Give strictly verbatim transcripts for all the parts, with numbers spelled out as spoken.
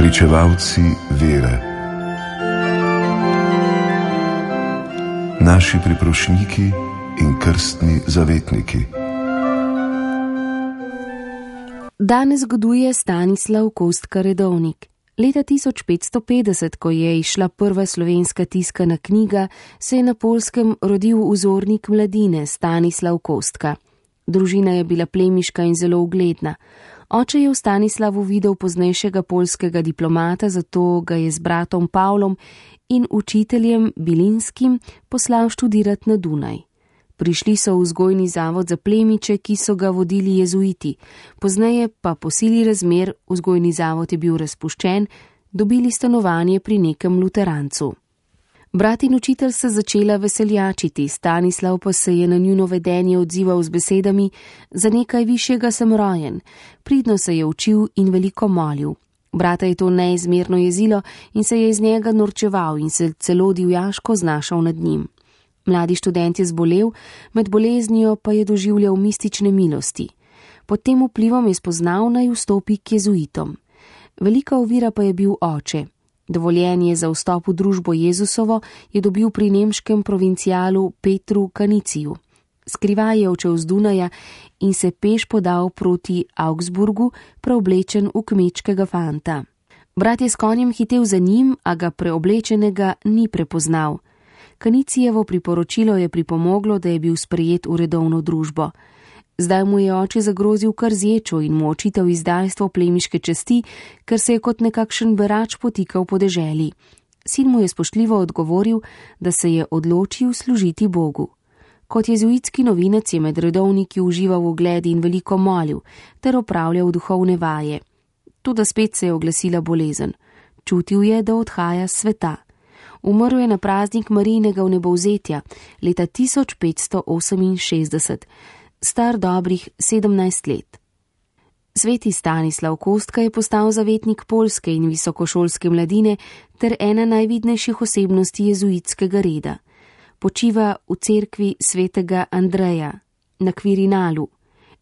pričevalci vere, naši priprošniki in krstni zavetniki. Danes zgoduje Stanislav Kostka-Redovnik. Leta tisoč petsto petdeset, ko je izšla prva slovenska tiskana knjiga, se je na Poljskem rodil vzornik mladine Stanislav Kostka. Družina je bila plemiška in zelo ugledna. Oče je v Stanislavu videl poznejšega poljskega diplomata, zato ga je z bratom Pavlom in učiteljem Bilinskim poslal študirati na Dunaj. Prišli so v vzgojni zavod za plemiče, ki so ga vodili jezuiti. Pozneje pa po sili razmer vzgojni zavod je bil razpuščen, dobili stanovanje pri nekem luterancu. Brat in učitelj se začela veseljačiti, Stanislav pa se je na njuno vedenje odzival z besedami: za nekaj višjega sem rojen. Pridno se je učil in veliko molil. Brata je to neizmerno jezilo in se je iz njega norčeval in se celo divjaško znašal nad njim. Mladi študent je zbolel, med boleznijo pa je doživljal mistične milosti. Pod tem vplivom je spoznal, naj vstopi k jezuitom. Velika ovira pa je bil oče. Dovoljenje za vstop v družbo Jezusovo je dobil pri nemškem provincialu Petru Caniciju. Skrivaj je odšel z Dunaja in se peš podal proti Augsburgu, preoblečen v kmečkega fanta. Brat je s konjem hitel za njim, a ga preoblečenega ni prepoznal. Canicijevo priporočilo je pripomoglo, da je bil sprejet v redovno družbo. Zdaj mu je oče zagrozil kar z ječo in mu očital izdajstvo plemiške časti, ker se je kot nekakšen berač potikal po deželi. Sin mu je spoštljivo odgovoril, da se je odločil služiti Bogu. Kot jezuitski novinec je med redovniki užival ugled in veliko molil ter opravljal duhovne vaje. Toda spet se je oglasila bolezen. Čutil je, da odhaja s sveta. Umrl je na praznik Marijinega vnebovzetja leta tisoč petsto oseminšestdeset, star dobrih sedemnajst let. Sveti Stanislav Kostka je postal zavetnik poljske in visokošolske mladine ter ena najvidnejših osebnosti jezuitskega reda. Počiva v cerkvi svetega Andreja na Kvirinalu.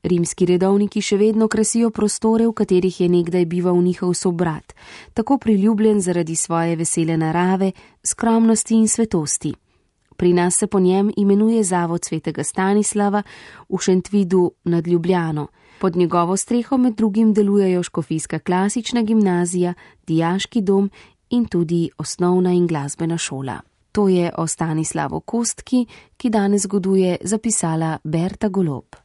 Rimski redovniki še vedno krasijo prostore, v katerih je nekdaj bival njihov sobrat, tako priljubljen zaradi svoje vesele narave, skromnosti in svetosti. Pri nas se po njem imenuje zavod svetega Stanislava v Šentvidu nad Ljubljano. Pod njegovo streho med drugim delujejo škofijska klasična gimnazija, dijaški dom in tudi osnovna in glasbena šola. To je o Stanislavu Kostki, ki danes zgoduje, zapisala Berta Golob.